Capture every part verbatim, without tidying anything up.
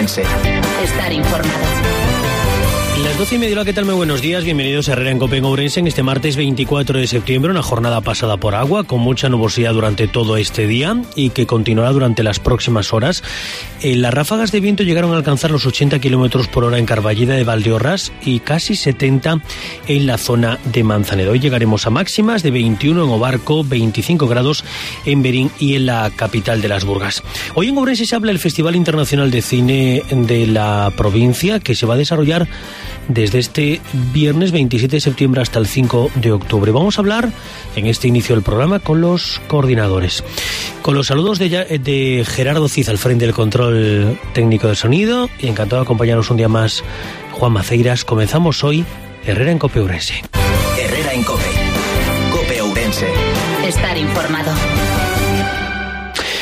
Ourense. Estar informado. Las doce y media, ¿qué tal? Muy buenos días, bienvenidos a Herrera en Cope en Ourense en este martes veinticuatro de septiembre, una jornada pasada por agua, con mucha nubosidad durante todo este día y que continuará durante las próximas horas. Eh, las ráfagas de viento llegaron a alcanzar los ochenta kilómetros por hora en Carballeda de Valdeorras y casi setenta en la zona de Manzanedo. Hoy llegaremos a máximas de veintiuno en Obarco, veinticinco grados en Berín y en la capital de las Burgas. Hoy en Ourense se habla del Festival Internacional de Cine de la provincia, que se va a desarrollar desde este viernes veintisiete de septiembre hasta el cinco de octubre. Vamos a hablar en este inicio del programa con los coordinadores. Con los saludos de, de Gerardo Cid al frente del control técnico de sonido, y encantado de acompañarnos un día más Juan Maceiras. Comenzamos hoy Herrera en Cope Ourense. Herrera en Cope. Cope Ourense. Estar informado.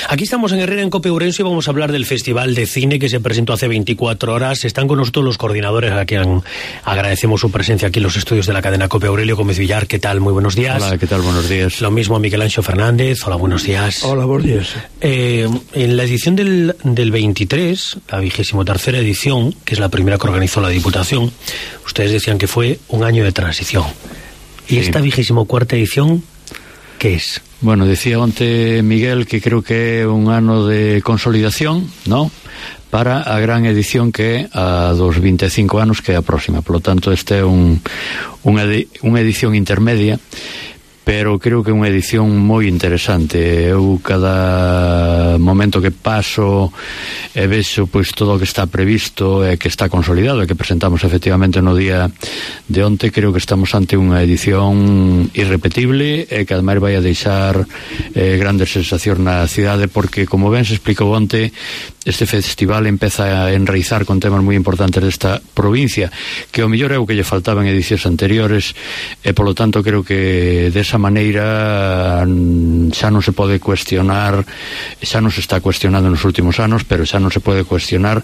Aquí estamos en Herrera en Cope Ourense y vamos a hablar del Festival de Cine que se presentó hace veinticuatro horas. Están con nosotros los coordinadores, a quien agradecemos su presencia aquí en los estudios de la cadena Cope. Aurelio Gómez Villar, ¿qué tal? Muy buenos días. Hola, ¿qué tal? Buenos días. Lo mismo a Miguel Anxo Fernández. Hola, buenos días. Hola, buenos días. Eh, en la edición del, del veintitrés, la vigésimo tercera edición, que es la primera que organizó la Diputación, ustedes decían que fue un año de transición. ¿Y sí. Esta vigésimo cuarta edición qué es? Bueno, decía onte Miguel que creo que é un ano de consolidación, ¿no?, para a gran edición que é a dos veinticinco anos, que é a próxima. Por lo tanto, este é un, unha, unha edición intermedia, pero creo que é unha edición moi interesante. Eu cada momento que paso e vexo pois todo o que está previsto e que está consolidado e que presentamos efectivamente no día de onte, creo que estamos ante unha edición irrepetible e que ademais vai a deixar eh, grandes sensacións na cidade, porque como ben se explicou onte, este festival empeza a enraizar con temas moi importantes desta provincia, que o mellor é o que lle faltaba en edicións anteriores, e polo tanto creo que desa maneira xa non se pode cuestionar, xa non se está cuestionando nos últimos anos, pero xa non se pode cuestionar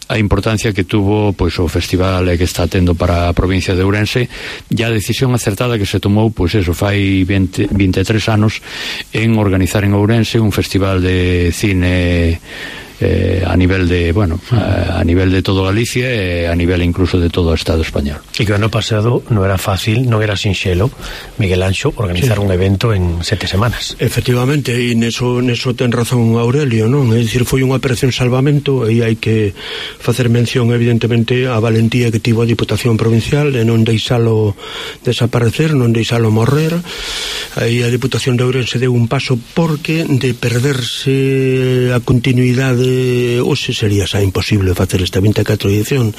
a importancia que tuvo pois o festival que está tendo para a provincia de Ourense, e a decisión acertada que se tomou, pois eso, fai veinte, veintitrés anos, en organizar en Ourense un festival de cine Eh, a nivel de, bueno, a, a nivel de todo Galicia e a nivel incluso de todo o Estado español. E que o ano pasado non era fácil, non era sinxelo, Miguel Anxo, organizar sí. un evento en sete semanas. Efectivamente, e neso, neso ten razón Aurelio, non? É dicir, foi unha operación salvamento, e hai que facer mención evidentemente a valentía que tivo a Diputación Provincial de non deixalo desaparecer, non deixalo morrer. Aí a Diputación de Ourense deu un paso, porque de perderse a continuidade hoxe sería xa imposible facer esta vinte e catro edición.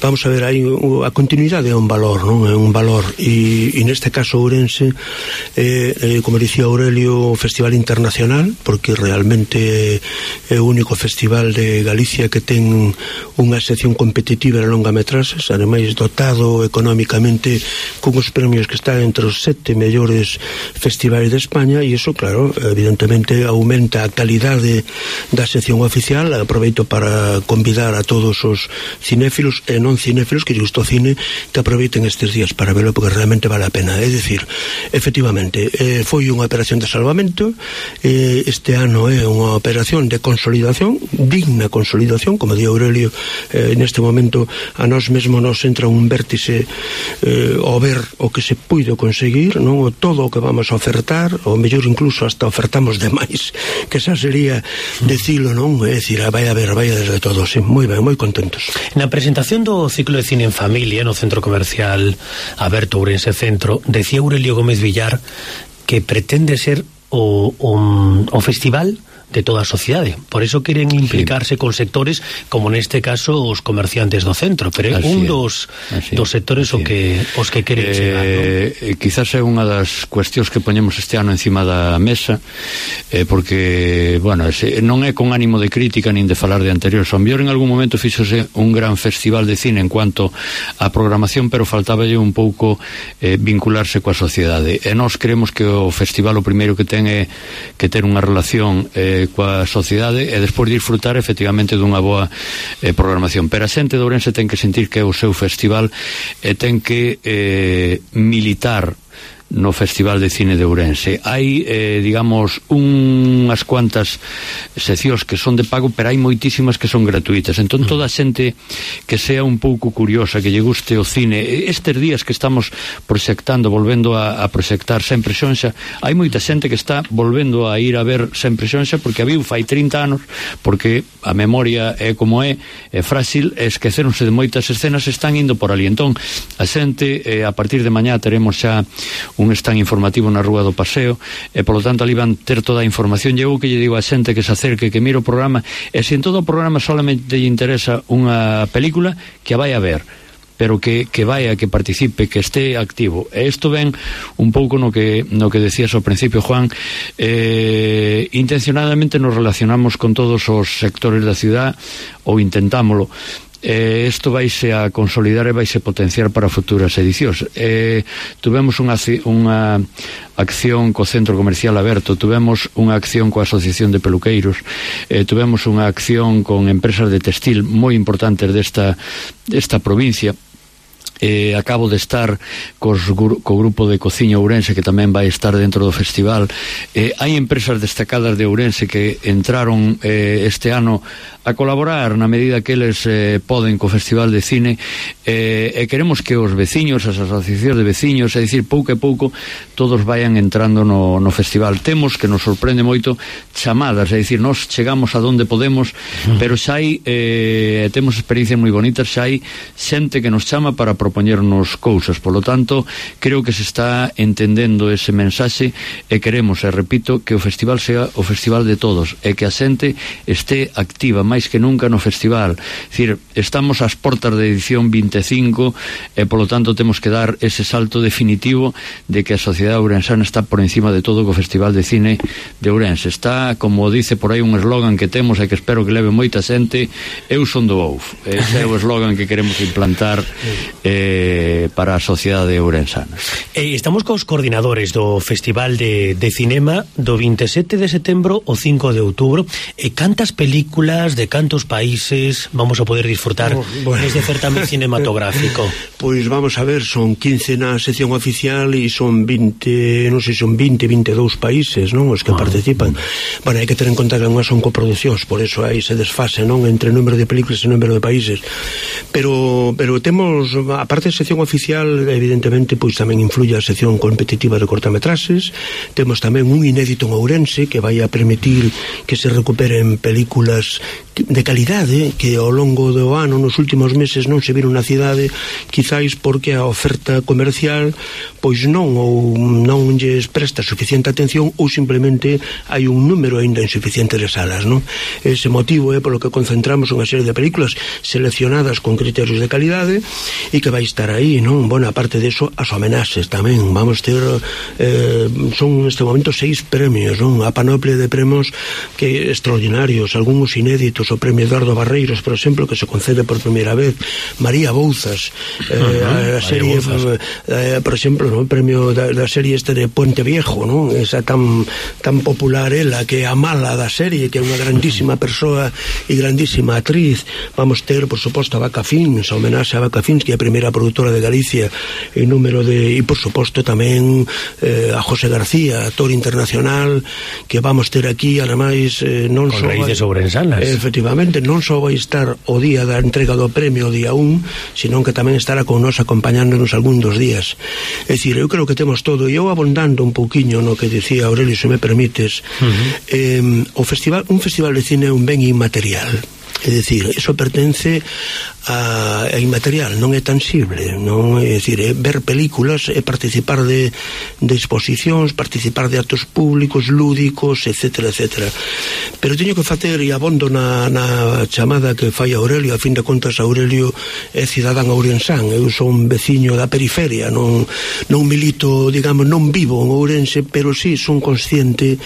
Vamos a ver, aí a continuidade é un valor, non? É un valor, e, e neste caso Ourense eh, eh, como dicía Aurelio, festival internacional, porque realmente é o único festival de Galicia que ten unha sección competitiva de longametraxes, ademais dotado económicamente con os premios que están entre os sete mellores festivais de España, e iso, claro, evidentemente aumenta a calidade da sección oficial. Aproveito para convidar a todos os cinéfilos e non cinéfilos que lle gusta o cine que aproveiten estes días para verlo, porque realmente vale a pena. É dicir, efectivamente, eh, foi unha operación de salvamento, eh, este ano é unha operación de consolidación, digna consolidación, como di Aurelio, eh, neste momento a nós mesmo nos entra un vértice eh, ao ver o que se puido conseguir, non, o todo o que vamos a ofertar, ou mellor incluso hasta ofertamos demais, que xa sería decilo, non? É dicir, vai a ver, vai a desde todos, sí, moi ben, moi contentos. Na presentación do ciclo de cine en familia no centro comercial Aberto Ourense Centro, decía Aurelio Gómez Villar que pretende ser o, o, o festival de toda a sociedade. Por eso queren implicarse sí. con sectores como neste caso os comerciantes do centro, pero é un dos, dos sectores o que, os que queren eh, chegar, non? Quizás é unha das cuestións que poñemos este ano encima da mesa, eh, porque, bueno, ese, non é con ánimo de crítica nin de falar de anteriores. O mellor en algún momento fíxose un gran festival de cine en cuanto a programación, pero faltáballe un pouco eh, vincularse coa sociedade. E nós creemos que o festival o primeiro que ten é que ter unha relación eh, coa sociedade e despois disfrutar efectivamente dunha boa eh, programación. Pero a xente de Ourense ten que sentir que é o seu festival e ten que eh, militar no Festival de Cine de Ourense. Hai, eh, digamos, unhas cuantas seccións que son de pago, pero hai moitísimas que son gratuitas. Entón, toda a xente que sea un pouco curiosa, que lle guste o cine, estes días que estamos proxectando, volvendo a, a proxectar Sempre Xonxa, hai moita xente que está volvendo a ir a ver Sempre Xonxa porque a viu fai trinta anos, porque a memoria é como é, é frágil, esqueceronse de moitas escenas, están indo por ali. Entón, a xente, eh, a partir de mañá teremos xa un stand informativo na Rúa do Paseo, e polo tanto ali van ter toda a información. Eu que lle digo a xente que se acerque, que mire o programa, e se en todo o programa solamente lle interesa unha película, que a vai a ver, pero que, que vaya, que participe, que esté activo. E isto ven un pouco no que, no que decías ao principio, Juan. Eh, intencionadamente nos relacionamos con todos os sectores da ciudad, ou intentámolo. Eh, isto vaise a consolidar e vaise potenciar para futuras edicións. Eh, tuvemos unha, unha acción co Centro Comercial Aberto, tuvemos unha acción coa Asociación de Peluqueiros, eh, tuvemos unha acción con empresas de textil moi importantes desta, desta provincia. Eh, acabo de estar cos, co grupo de Cociña Ourense, que tamén vai estar dentro do festival. Eh, hai empresas destacadas de Ourense que entraron eh, este ano a colaborar na medida que eles eh, poden co Festival de Cine, eh, e queremos que os veciños, as asociacións de veciños, é dicir, pouco a pouco todos vayan entrando no, no festival. Temos, que nos sorprende moito, chamadas, é dicir, nos chegamos a donde podemos, pero xa hai eh, temos experiencias moi bonitas, xa hai xente que nos chama para propoñernos cousas. Polo tanto, creo que se está entendendo ese mensaxe, e queremos, e repito, que o festival sea o festival de todos, e que a xente este activa máis que nunca no festival. É dicir, estamos ás portas da edición vinte e cinco, e polo tanto temos que dar ese salto definitivo de que a sociedade ourensana está por encima de todo co Festival de Cine de Ourense. Está, como dice por aí un eslogan que temos e que espero que leve moita xente, eu son do Ouf. Ese é o eslogan que queremos implantar eh, para a sociedade ourensana. Eh, estamos cos coordinadores do Festival de, de Cinema do vinte e sete de setembro ao cinco de outubro. E cantas películas de cantos países vamos a poder disfrutar oh, bueno. Desde certamen cinematográfico? Pois vamos a ver, son quince na sección oficial e son vinte, non sei, son vinte, vinte e dous países, non, os que oh. participan. Bueno, hai que ter en conta que non son coproduccións, por eso aí se desfase, non, entre número de películas e número de países. Pero pero temos, aparte da sección oficial, evidentemente, pois tamén influye a sección competitiva de cortametraxes. Temos tamén un inédito en Ourense que vai a permitir que se recuperen películas de calidade que ao longo do ano, nos últimos meses, non se viron na cidade, quizáis porque a oferta comercial pois non, ou non lles presta suficiente atención, ou simplemente hai un número ainda insuficiente de salas, non? Ese motivo é polo que concentramos unha serie de películas seleccionadas con criterios de calidade e que vai estar aí, non? Bueno, aparte de eso, as homenaxes tamén, vamos ter eh, son neste momento seis premios, non? A panoplia de premios que extraordinarios, algúns inéditos, o premio Eduardo Barreiros, por exemplo, que se concede por primeira vez, María Bouzas, eh, uh-huh, a serie, eh, por exemplo, no? O premio da, da serie este de Puente Viejo, non? Esa tan tan popular ela, que é a mala da serie, que é unha grandísima persoa e grandísima actriz. Vamos ter, por suposto, a Vaca Fins, a homenaxe a Vaca Fins, que é a primeira produtora de Galicia en número de, e por suposto tamén eh, a José García, actor internacional, que vamos ter aquí, ademais, eh, non con raíces ourensanas. Eh, efectivamente, non só vai estar o día da entrega do premio, o día un, senón que tamén estará con nos acompañándonos algún dos días. É dicir, eu creo que temos todo, e eu abondando un pouquiño no que dicía Aurelio, se me permites, uh-huh. eh, o festival, un festival de cine é un ben inmaterial. É dicir, iso pertence a, a inmaterial, non é tangible, non é dicir, é ver películas, é participar de, de exposicións, participar de actos públicos, lúdicos, etcétera, etcétera. Pero teño que facer, e abondo na, na chamada que fai Aurelio, a fin de contas Aurelio é cidadán ourensán, eu son veciño da periferia, non, non milito, digamos, non vivo en Ourense, pero sí son consciente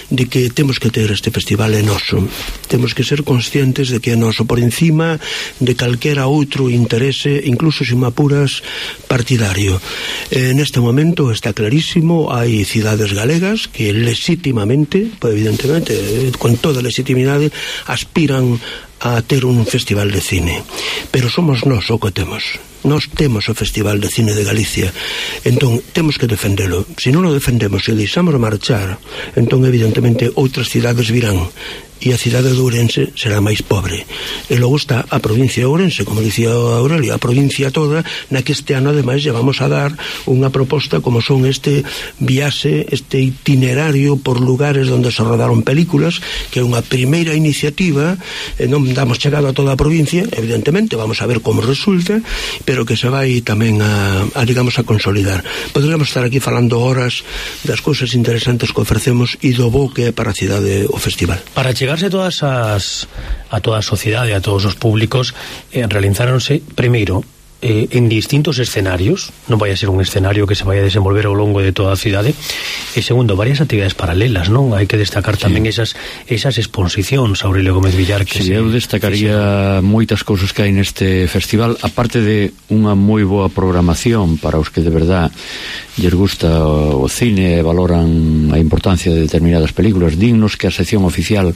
de que temos que ter este festival é noso, temos que ser conscientes de que é noso por encima de calquera outro interese, incluso se me apuras partidario. Eh, neste momento está clarísimo, hai cidades galegas que legítimamente, pues evidentemente, con toda legitimidade, aspiran a ter un festival de cine, pero somos nós o que temos. Nós temos o Festival de Cine de Galicia, entón temos que defendelo. Se non o defendemos e deixamos marchar, entón evidentemente outras cidades virán e a cidade de Ourense será máis pobre. E logo está a provincia de Ourense, como dicía Aurelio, a provincia toda, na que este ano ademais lle vamos a dar unha proposta como son este viaxe, este itinerario por lugares onde se rodaron películas, que é unha primeira iniciativa, e non damos chegado a toda a provincia, evidentemente, vamos a ver como resulta, pero que se vai tamén a, a digamos, a consolidar. Poderíamos estar aquí falando horas das cousas interesantes que ofrecemos e do bo que é para a cidade o festival. Para chegarse a todas as a toda a sociedade, a todos os públicos, eh, realizáronse primeiro eh, en distintos escenarios, non vai a ser un escenario que se vai a desenvolver ao longo de toda a cidade, e segundo, varias actividades paralelas, non? Hai que destacar tamén sí. esas esas exposicións, Aurelio Gómez Villar, que sí, se, eu destacaría sí. moitas cousas que hai neste festival, aparte de unha moi boa programación para os que de verdad lles gusta o cine e valoran a importancia de determinadas películas, dignos que a sección oficial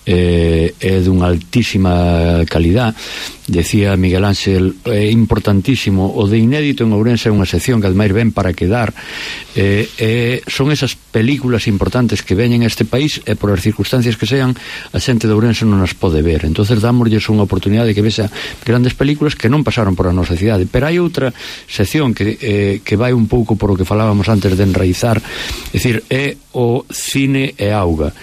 eh, é dunha altísima calidad. Decía Miguel Ángel, é importantísimo, o de inédito en Ourense é unha sección que ademais ven para quedar, eh, eh, son esas películas importantes que veñen a este país e por as circunstancias que sean a xente de Ourense non as pode ver, entonces dámoslles unha oportunidade de que vexa grandes películas que non pasaron por a nosa cidade. Pero hai outra sección que, eh, que vai un pouco por o que falábamos antes de enraizar, é dicir, é o cine e auga.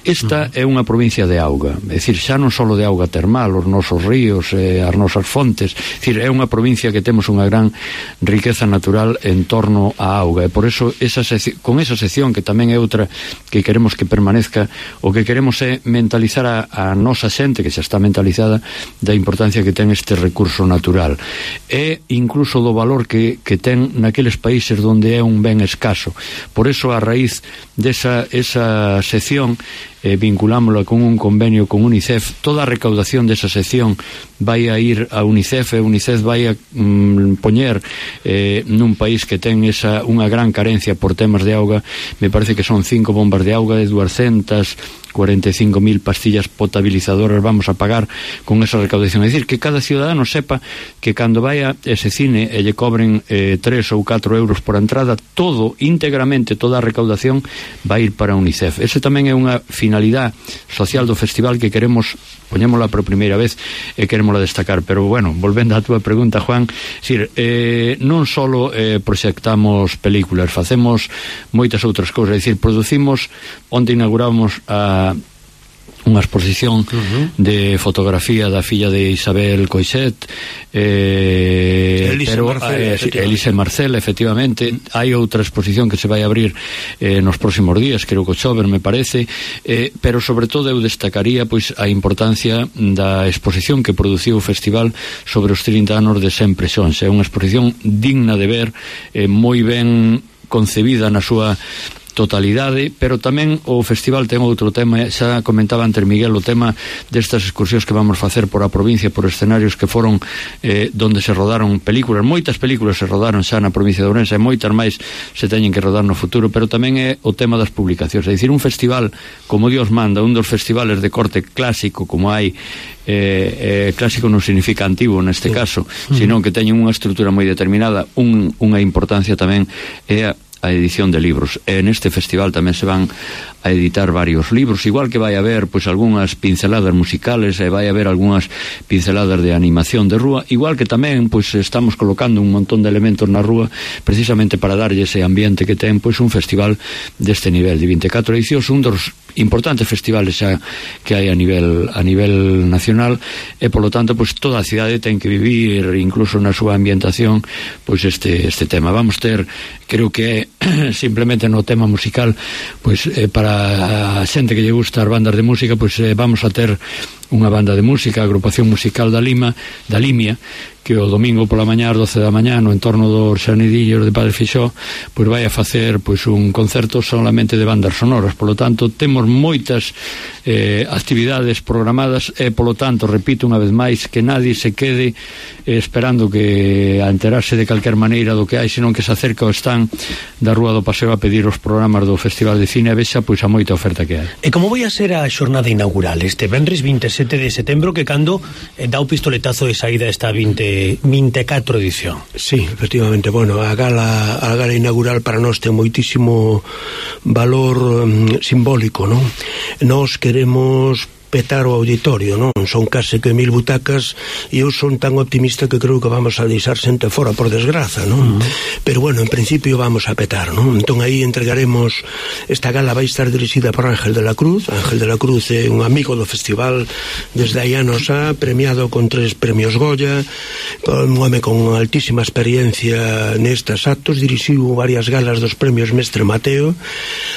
Esta é unha provincia de auga, é dicir, xa non só de auga termal, os nosos ríos, eh, as nosas fontes, é dicir, é unha provincia que temos unha gran riqueza natural en torno á auga, e por eso esa sección, con esa sección que tamén é outra que queremos que permanezca, o que queremos é mentalizar a, a nosa xente, que xa está mentalizada, da importancia que ten este recurso natural, e incluso do valor que, que ten naqueles países onde é un ben escaso. Por eso, a raíz desa esa sección, eh, vinculámola con un convenio con UNICEF, toda a recaudación desa sección vai a ir a UNICEF, e UNICEF vai a mm, poñer eh, nun país que ten esa unha gran carencia por temas de auga, me parece que son cinco bombas de auga de doscientas cuarenta e cinco mil pastillas potabilizadoras vamos a pagar con esa recaudación. É dicir, que cada ciudadano sepa que cando vai a ese cine e lle cobren eh, tres ou catro euros por entrada, todo, íntegramente, toda a recaudación vai ir para UNICEF. Ese tamén é unha finalidade social do festival que queremos, poñémola por primeira vez e querémola destacar. Pero, bueno, volvendo á túa pregunta, Juan, decir, eh, non só eh, proxectamos películas, facemos moitas outras cousas, é dicir, producimos, onde inauguramos a unha exposición uh-huh. de fotografía da filla de Isabel Coixet, eh, Elise pero Marcel, eh, efectivamente. Elise Marcel, efectivamente. Hai outra exposición que se vai abrir eh, nos próximos días, creo que o Chover, me parece, eh, pero sobre todo eu destacaría pois a importancia da exposición que produciu o festival sobre os trinta anos de Sempre Xons. É unha exposición digna de ver, eh, moi ben concebida na súa totalidade, pero tamén o festival ten outro tema, xa comentaba antes Miguel, o tema destas excursións que vamos facer por a provincia, por escenarios que foron eh, donde se rodaron películas, moitas películas se rodaron xa na provincia de Ourense, e moitas máis se teñen que rodar no futuro, pero tamén é o tema das publicacións, é dicir, un festival como Dios manda, un dos festivales de corte clásico como hai, eh, eh, clásico non significa antigo neste caso, sino que teñen unha estrutura moi determinada, un, unha importancia tamén é a a edición de libros, e neste festival tamén se van a editar varios libros, igual que vai haber pois algunhas pinceladas musicales e vai haber algunhas pinceladas de animación de rúa, igual que tamén pois estamos colocando un montón de elementos na rúa precisamente para darlle ese ambiente que ten pois un festival deste nivel de vinte e catro edicións, un dos importantes festivales xa que hai a nivel a nivel nacional, e polo tanto pois toda a cidade ten que vivir incluso na súa ambientación pois este este tema. Vamos ter, creo que é simplemente no tema musical, pois eh, para a xente que lle gusta as bandas de música, pois eh, vamos a ter unha banda de música, a agrupación musical da Lima, da Limia, que o domingo pola mañá ás doce da mañá no entorno dos Xanidillos de Padre Fixó, pois vai a facer pois un concerto solamente de bandas sonoras. Polo tanto, temos moitas eh, actividades programadas e polo tanto, repito unha vez máis, que nadie se quede eh, esperando que a enterarse de calquer maneira do que hai, senón que se acerca ao stand da Rúa do Paseo a pedir os programas do Festival de Cine e vexa pois a moita oferta que hai. E como vai a ser a xornada inaugural este venres vinte e sete de setembro, que cando eh, dá o pistoletazo de saída esta veinte, vinte e catro edición? Sí, efectivamente, bueno, a gala a gala inaugural para nós ten moitísimo valor um, simbólico, non? Nós queremos petar o auditorio, non? Son case que mil butacas e eu son tan optimista que creo que vamos a deixar xente fora por desgraza, non? Uh -huh. Pero bueno, en principio vamos a petar, non? Entón aí entregaremos, esta gala vai estar dirixida por Ángel de la Cruz. Ángel de la Cruz é un amigo do festival desde hai anos a, premiado con tres premios Goya, un home con altísima experiencia nestes actos, dirixiu varias galas dos premios Mestre Mateo.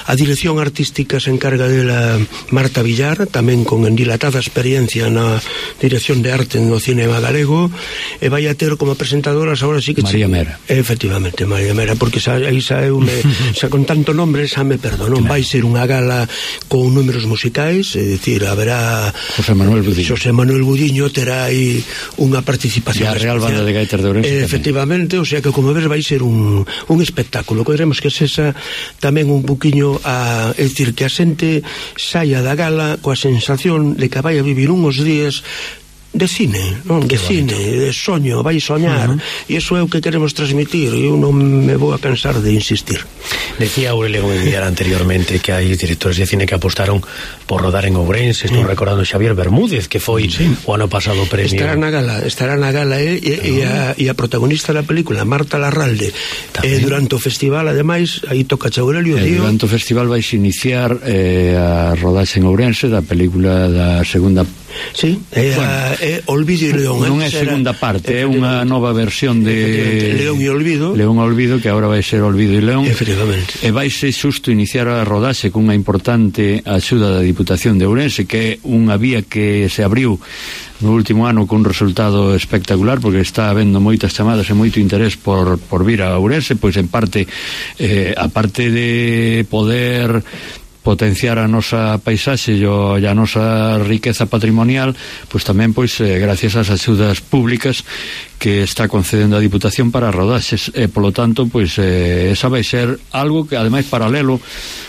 A dirección artística se encarga dela Marta Villar, tamén con dilatada experiencia na dirección de arte no cinema galego, e vai a ter como presentadoras agora sí que María Mera. Efectivamente, María Mera, porque xa, aí xa eu me, xa con tanto nombre xa me perdo, non? Claro. Vai ser unha gala con números musicais, é dicir, haberá José Manuel Budiño. José Manuel Budiño terá aí unha participación e a Real Banda de Gaitas de Ourense. Efectivamente, tamén. O sea que como ves vai ser un, un espectáculo. Queremos que sexa tamén un poquinho a, é dicir, que a xente saia da gala coa sensación de que vai a vivir uns días de cine, non? De cine, de soño, vai soñar, uh -huh. E iso é o que queremos transmitir, e eu non me vou a cansar de insistir. Decía Aurelio Gómez Villar anteriormente que hai directores de cine que apostaron por rodar en Ourense. Estou mm. recordando Xavier Bermúdez, que foi sí. o ano pasado premio. Estará na gala, estará na gala e, e, e, a, e a protagonista da película, Marta Larralde, e durante o festival, ademais, aí toca Aurelio, e durante o festival vais iniciar eh, a rodaxe en Ourense da película da segunda. Sí, é, bueno, a, é Olvido e León. Non é segunda parte, é unha nova versión de León e Olvido. León e Olvido, que agora vai ser Olvido e León. Efectivamente. E vai ser xusto iniciar a rodaxe cunha importante axuda da Diputación de Ourense, que é unha vía que se abriu no último ano con un resultado espectacular, porque está habendo moitas chamadas e moito interés por, por vir a Ourense, pois en parte eh, a parte de poder potenciar a nosa paisaxe e a nosa riqueza patrimonial, pois tamén pois eh, gracias ás axudas públicas que está concedendo a Diputación para rodaxes, e polo tanto pois eh, esa vai ser algo que ademais paralelo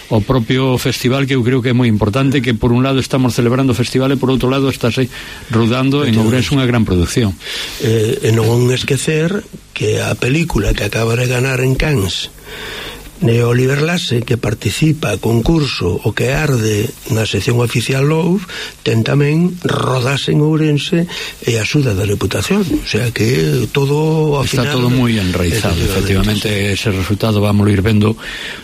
ao propio festival, que eu creo que é moi importante, que por un lado estamos celebrando o festival e por outro lado estáse rodando en Ourense unha gran produción. Eh, e non esquecer que a película que acaba de ganar en Cannes de Oliver Lasse, que participa a concurso O que arde na sección oficial Love, ten tamén rodase en Ourense e a axuda da Reputación, o sea que todo ao está final, todo moi enraizado, efectivamente, sí. Ese resultado vamos ir vendo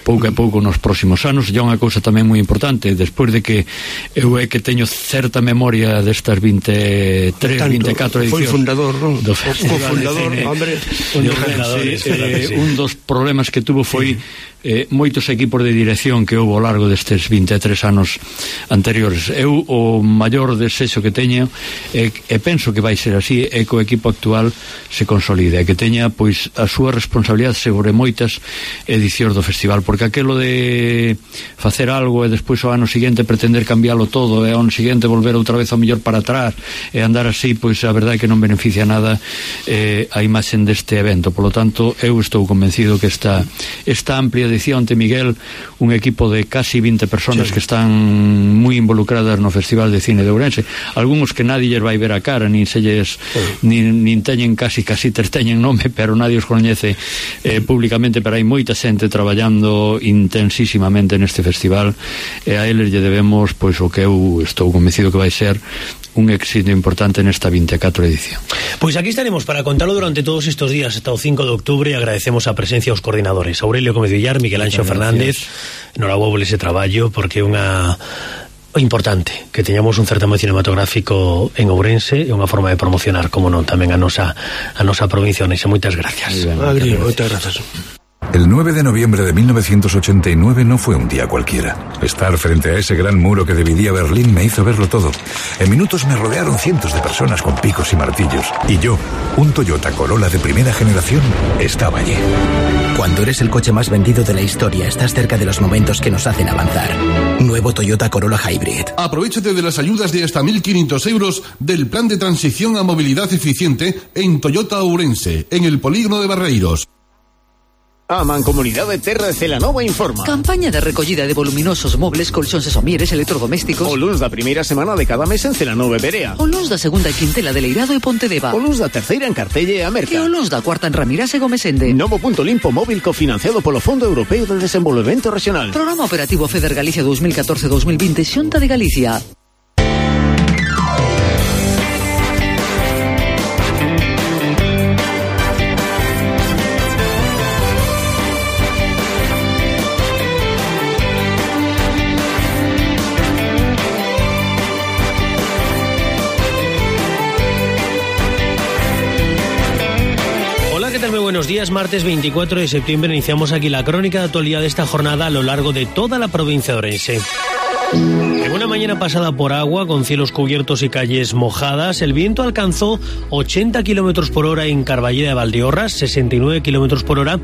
pouco a pouco nos próximos anos. E unha cousa tamén moi importante, despois de que eu é que teño certa memoria destas vinte e tres, tanto, vinte e catro edicións, foi fundador, non? Do Festival de Cine, hombre, un, eh, un dos problemas que tuvo foi sí. Eh, moitos equipos de dirección que houve ao largo destes vinte e tres anos anteriores. Eu o maior desexo que teño e, e penso que vai ser así, é que o equipo actual se consolide, e que teña pois a súa responsabilidade sobre moitas edicións do festival, porque aquelo de facer algo e despois o ano seguinte pretender cambiálo todo e ao ano seguinte volver outra vez ao mellor para atrás e andar así, pois a verdade é que non beneficia nada eh, a imaxen deste evento. Polo tanto, eu estou convencido que esta, esta amplia dicía onte Miguel, un equipo de casi vinte personas, sí, que están moi involucradas no Festival de Cine de Ourense, algúns que nadie lles vai ver a cara, nin se lles, sí, nin, nin teñen casi casi ter teñen nome, pero nadie os coñece eh, públicamente, pero hai moita xente traballando intensísimamente neste festival, e a eles lle debemos pois o que eu estou convencido que vai ser un éxito importante nesta vinte e catro edición. Pois aquí estaremos para contarlo durante todos estes días hasta o cinco de octubre, e agradecemos a presencia aos coordinadores Aurelio Gómez Villar, Miguel Anxo Fernández. Noraboble ese traballo, porque é unha importante que teñamos un certamen cinematográfico en Ourense, e unha forma de promocionar, como non, tamén a nosa a nosa provincia. Onese, moitas gracias. Agri, moitas gracias. El nueve de noviembre de mil novecientos ochenta y nueve no fue un día cualquiera. Estar frente a ese gran muro que dividía Berlín me hizo verlo todo. En minutos me rodearon cientos de personas con picos y martillos. Y yo, un Toyota Corolla de primera generación, estaba allí. Cuando eres el coche más vendido de la historia, estás cerca de los momentos que nos hacen avanzar. Nuevo Toyota Corolla Hybrid. Aprovechate de las ayudas de hasta mil quinientos euros del plan de transición a movilidad eficiente en Toyota Ourense, en el polígono de Barreiros. A Mancomunidade Terra de Celanova informa. Campaña de recollida de voluminosos mobles, colchóns e somieres electrodomésticos. O luns da primeira semana de cada mes en Celanova e Berea. O luns da segunda quintela de Leirado e Pontedeva. O luns da terceira en Cartelle e a Merca. E o luns da cuarta en Ramirás e Gomesende. Novo punto limpo móvil cofinanciado polo Fondo Europeo de Desenvolvemento Regional. Programa Operativo FEDER Galicia dos mil catorce dos mil vinte, Xunta de Galicia. Buenos días, martes veinticuatro de septiembre iniciamos aquí la crónica de actualidad de esta jornada a lo largo de toda la provincia de Ourense. En una mañana pasada por agua, con cielos cubiertos y calles mojadas, el viento alcanzó ochenta kilómetros por hora en Carballeda de Valdeorras, sesenta y nueve kilómetros por hora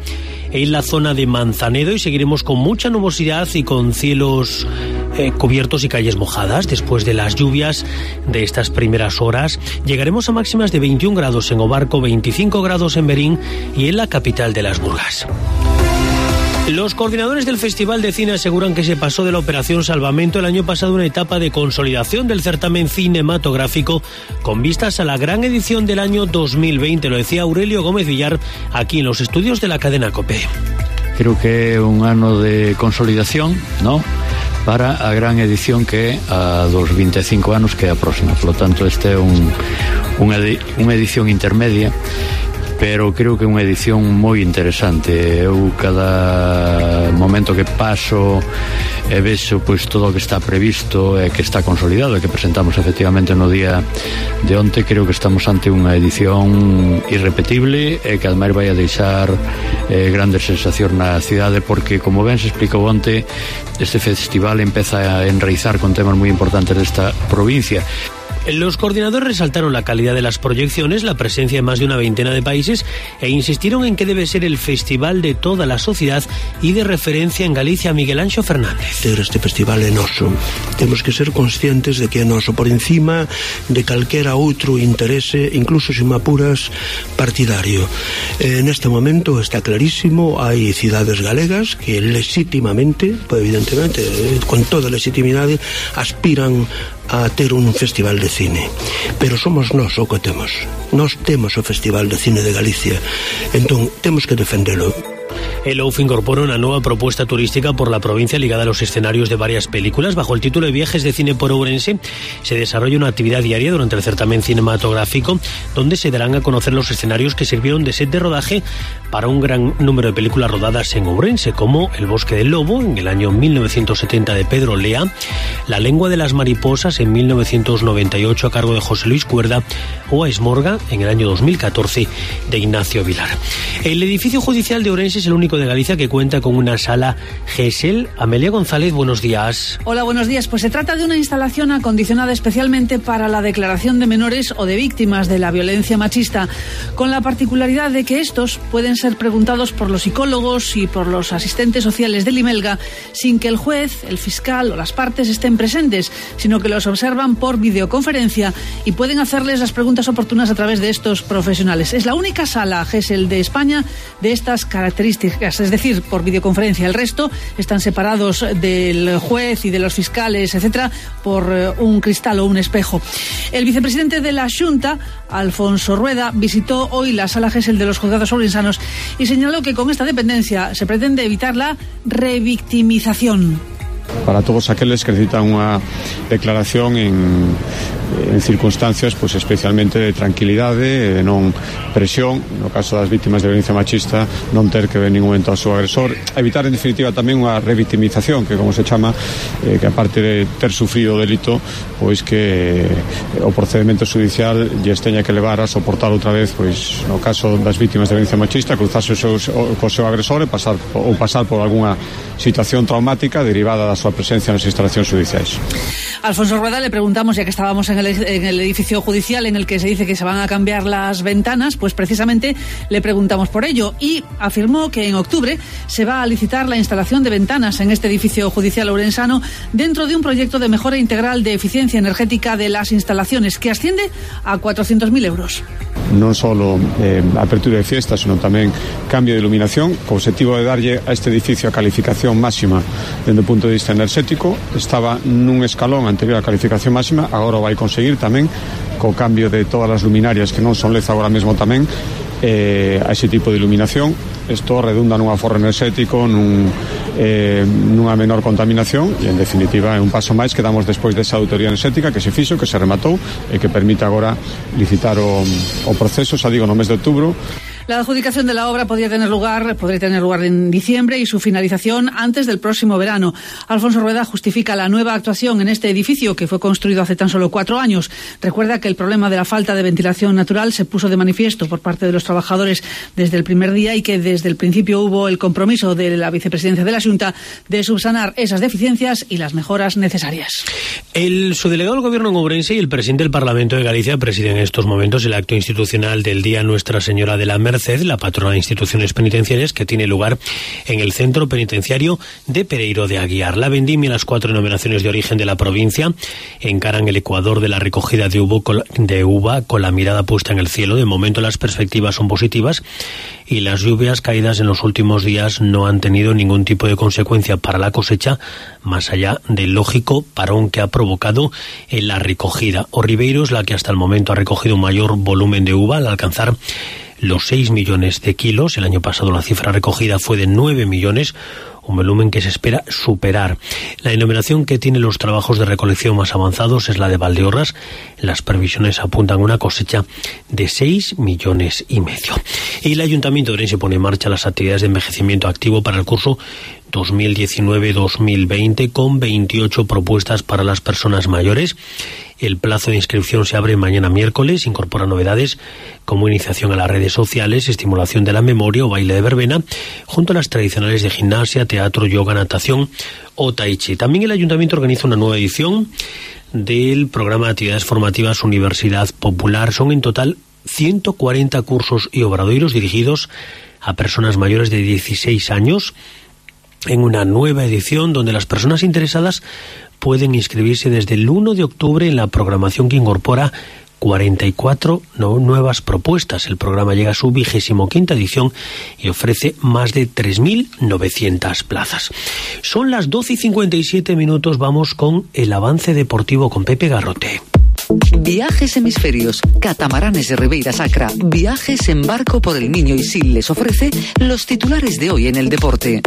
en la zona de Manzanedo, y seguiremos con mucha nubosidad y con cielos eh, cubiertos y calles mojadas. Después de las lluvias de estas primeras horas, llegaremos a máximas de veintiún grados en Obarco, veinticinco grados en Berín y en la capital de las Burgas. Los coordinadores del Festival de Cine aseguran que se pasó de la Operación Salvamento el año pasado una etapa de consolidación del certamen cinematográfico con vistas a la gran edición del año dos mil veinte. Lo decía Aurelio Gómez Villar aquí en los estudios de la cadena COPE. Creo que é un ano de consolidación, ¿no?, para a gran edición que é a dos veinticinco anos que é a próxima. Por lo tanto, este é un, unha, unha edición intermedia, pero creo que é unha edición moi interesante. Eu cada momento que paso e vexo pois todo o que está previsto e que está consolidado e que presentamos efectivamente no día de onte, creo que estamos ante unha edición irrepetible e que ademais vai a deixar eh, grandes sensacións na cidade, porque como ben se explicou onte, este festival empeza a enraizar con temas moi importantes desta provincia. Los coordinadores resaltaron la calidad de las proyecciones, la presencia de más de una veintena de países e insistieron en que debe ser el festival de toda la sociedad y de referencia en Galicia. Miguel Anxo Fernández. Este festival é noso. Temos que ser conscientes de que é noso por encima de calquera outro interese, incluso se me apuras partidario. En este momento está clarísimo, hai cidades galegas que legítimamente, pues evidentemente, con toda legitimidade, aspiran a ter un festival de cine, pero somos nós o que temos. Nós temos o Festival de Cine de Galicia, entón temos que defendelo. El O F incorpora una nueva propuesta turística por la provincia ligada a los escenarios de varias películas. Bajo el título de Viajes de Cine por Ourense se desarrolla una actividad diaria durante el certamen cinematográfico, donde se darán a conocer los escenarios que sirvieron de set de rodaje para un gran número de películas rodadas en Ourense, como El Bosque del Lobo en el año mil novecientos setenta de Pedro Lea, La Lengua de las Mariposas en mil novecientos noventa y ocho a cargo de José Luis Cuerda, o A Esmorga en el año dos mil catorce de Ignacio Vilar. El edificio judicial de Ourense es el único de Galicia que cuenta con una sala GESEL. Amelia González, buenos días. Hola, buenos días. Pues se trata de una instalación acondicionada especialmente para la declaración de menores o de víctimas de la violencia machista, con la particularidad de que estos pueden ser preguntados por los psicólogos y por los asistentes sociales del IMELGA sin que el juez, el fiscal o las partes estén presentes, sino que los observan por videoconferencia y pueden hacerles las preguntas oportunas a través de estos profesionales. Es la única sala GESEL de España de estas características, es decir, por videoconferencia. El resto están separados del juez y de los fiscales, etcétera, por un cristal o un espejo. El vicepresidente de la Xunta, Alfonso Rueda, visitó hoy la sala GESEL de los juzgados ourensanos y señaló que con esta dependencia se pretende evitar la revictimización. Para todos aqueles que necesitan unha declaración en, en circunstancias pues, especialmente de tranquilidade e non presión, no caso das vítimas de violencia machista, non ter que ver ningún momento ao seu agresor, evitar en definitiva tamén unha revictimización, que como se chama, eh, que aparte de ter sufrido o delito, pois que eh, o procedimento judicial lles teña que levar a soportar outra vez, pois no caso das vítimas de violencia machista, cruzarse o seu, o, co seu agresor e pasar, ou pasar por algunha situación traumática derivada da súa presencia nas instalacións judiciais. Alfonso Rueda, le preguntamos, ya que estábamos en el, en el edificio judicial en el que se dice que se van a cambiar las ventanas, pues precisamente le preguntamos por ello y afirmó que en octubre se va a licitar la instalación de ventanas en este edificio judicial ourensano dentro de un proyecto de mejora integral de eficiencia energética de las instalaciones que asciende a cuatrocientos mil euros. non só eh, apertura de fiestas, senón tamén cambio de iluminación, co objetivo de darlle a este edificio a calificación máxima dende o punto de vista enerxético. Estaba nun escalón anterior á calificación máxima, agora vai conseguir tamén co cambio de todas as luminarias que non son L E D agora mesmo tamén eh, a ese tipo de iluminación. Isto redunda nun aforro enerxético, nun, eh, nunha menor contaminación e, en definitiva, é un paso máis que damos despois desa auditoría enerxética que se fixo, que se rematou e que permite agora licitar o, o proceso, xa digo, no mes de outubro. La adjudicación de la obra podría tener lugar, podría tener lugar en diciembre y su finalización antes del próximo verano. Alfonso Rueda justifica la nueva actuación en este edificio que fue construido hace tan solo cuatro años. Recuerda que el problema de la falta de ventilación natural se puso de manifiesto por parte de los trabajadores desde el primer día y que desde el principio hubo el compromiso de la vicepresidencia de la Xunta de subsanar esas deficiencias y las mejoras necesarias. El subdelegado del Gobierno en Ourense y el presidente del Parlamento de Galicia presiden en estos momentos el acto institucional del Día Nuestra Señora de la Merced, la patrona de instituciones penitenciarias, que tiene lugar en el centro penitenciario de Pereiro de Aguiar. La vendimia y las cuatro denominaciones de origen de la provincia encaran el ecuador de la recogida de uva, de uva con la mirada puesta en el cielo. De momento las perspectivas son positivas y las lluvias caídas en los últimos días no han tenido ningún tipo de consecuencia para la cosecha, más allá del lógico parón que ha provocado en la recogida. O Ribeiro es la que hasta el momento ha recogido un mayor volumen de uva al alcanzar los seis millones de kilos. El año pasado la cifra recogida fue de nueve millones, un volumen que se espera superar. La denominación que tiene los trabajos de recolección más avanzados es la de Valdeorras. Las previsiones apuntan a una cosecha de seis millones y medio. Y el Ayuntamiento de Ourense pone en marcha las actividades de envejecimiento activo para el curso dos mil diecinueve dos mil veinte con veintiocho propuestas para las personas mayores. El plazo de inscripción se abre mañana miércoles, incorpora novedades como iniciación a las redes sociales, estimulación de la memoria o baile de verbena, junto a las tradicionales de gimnasia, teatro, yoga, natación o tai chi. También el Ayuntamiento organiza una nueva edición del programa de actividades formativas Universidad Popular. Son en total ciento cuarenta cursos y obradoiros dirigidos a personas mayores de dieciséis años, en una nueva edición donde las personas interesadas pueden inscribirse desde el uno de octubre en la programación que incorpora cuarenta y cuatro no, nuevas propuestas. El programa llega a su vigésimo quinta edición y ofrece más de tres mil novecientas plazas. Son las doce y cincuenta y siete minutos, vamos con el avance deportivo con Pepe Garrote. Viajes Hemisferios, Catamaranes de Ribeira Sacra, viajes en barco por el Miño Isil les ofrece los titulares de hoy en el deporte.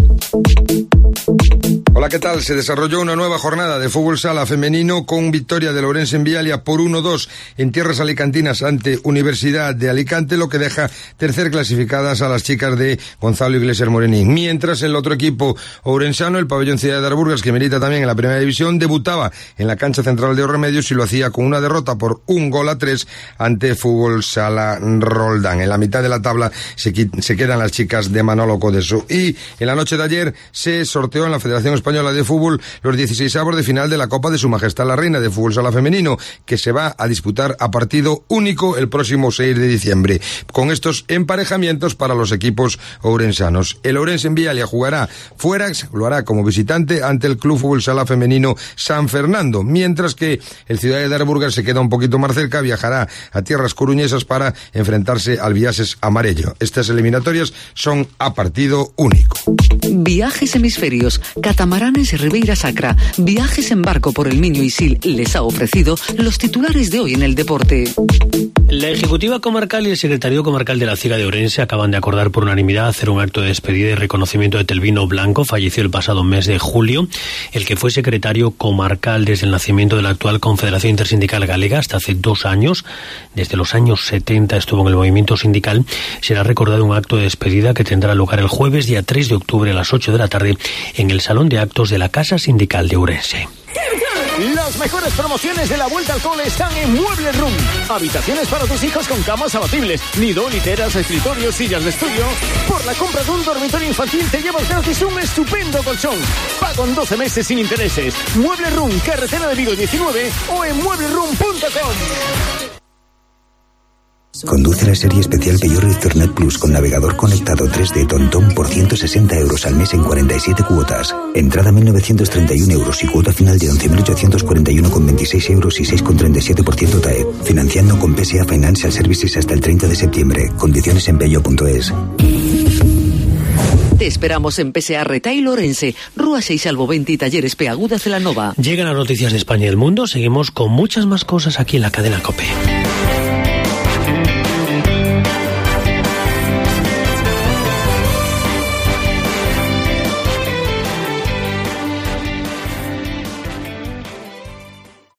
Hola, ¿qué tal? Se desarrolló una nueva jornada de fútbol sala femenino con victoria del Ourense en Vialia por uno dos en tierras alicantinas ante Universidad de Alicante, lo que deja tercer clasificadas a las chicas de Gonzalo Iglesias Morenín. Mientras el otro equipo ourensano, el Pabellón Ciudad de Arburgas, que milita también en la primera división, debutaba en la cancha central de Os Remedios y lo hacía con una derrota por un gol a tres ante Fútbol Sala Roldán. En la mitad de la tabla se, se quedan las chicas de Manolo Codeso. Y en la noche de ayer se sorteó en la Federación Española de Fútbol los dieciseisavos de final de la Copa de Su Majestad la Reina de Fútbol Sala Femenino, que se va a disputar a partido único el próximo seis de diciembre, con estos emparejamientos para los equipos ourensanos. El Ourense en Vialia jugará fuera, lo hará como visitante ante el Club Fútbol Sala Femenino San Fernando, mientras que el Ciudad de Arburgas se queda un poquito más cerca, viajará a tierras coruñesas para enfrentarse al Viases Amarello. Estas eliminatorias son a partido único. Viajes Hemisferios, Catamaranes de Ribeira Sacra, viajes en barco por el Miño Isil les ha ofrecido los titulares de hoy en el deporte. La Ejecutiva Comarcal y el Secretario Comarcal de la Ciga de Ourense acaban de acordar por unanimidad hacer un acto de despedida y reconocimiento de Telvino Blanco, falleció el pasado mes de julio, el que fue secretario comarcal desde el nacimiento de la actual Confederación Intersindical Galega hasta hace dos años. Desde los años setenta estuvo en el movimiento sindical. Será recordado un acto de despedida que tendrá lugar el jueves, día tres de octubre a las ocho de la tarde en el Salón de Actos de la Casa Sindical de Ourense. Las mejores promociones de la vuelta al cole están en Muebles Room. Habitaciones para tus hijos con camas abatibles, nido, literas, escritorios, sillas de estudio. Por la compra de un dormitorio infantil te llevas gratis un estupendo colchón. Pago en doce meses sin intereses. Muebles Room, carretera de Vigo diecinueve o en muebles room punto com. Conduce la serie especial Peugeot Ethernet Plus con navegador conectado tres D Tontón por ciento sesenta euros al mes en cuarenta y siete cuotas. Entrada mil novecientos treinta y uno euros y cuota final de once mil ochocientos cuarenta y uno con veintiséis euros y seis con treinta y siete por ciento T A E. Financiando con P S A Financial Services hasta el treinta de septiembre. Condiciones en peugeot punto es. Te esperamos en P S A Retail Orense, Rúa seis Albo veinte y Talleres Peaguda Celanova. Llegan las noticias de España y el mundo. Seguimos con muchas más cosas aquí en la cadena COPE.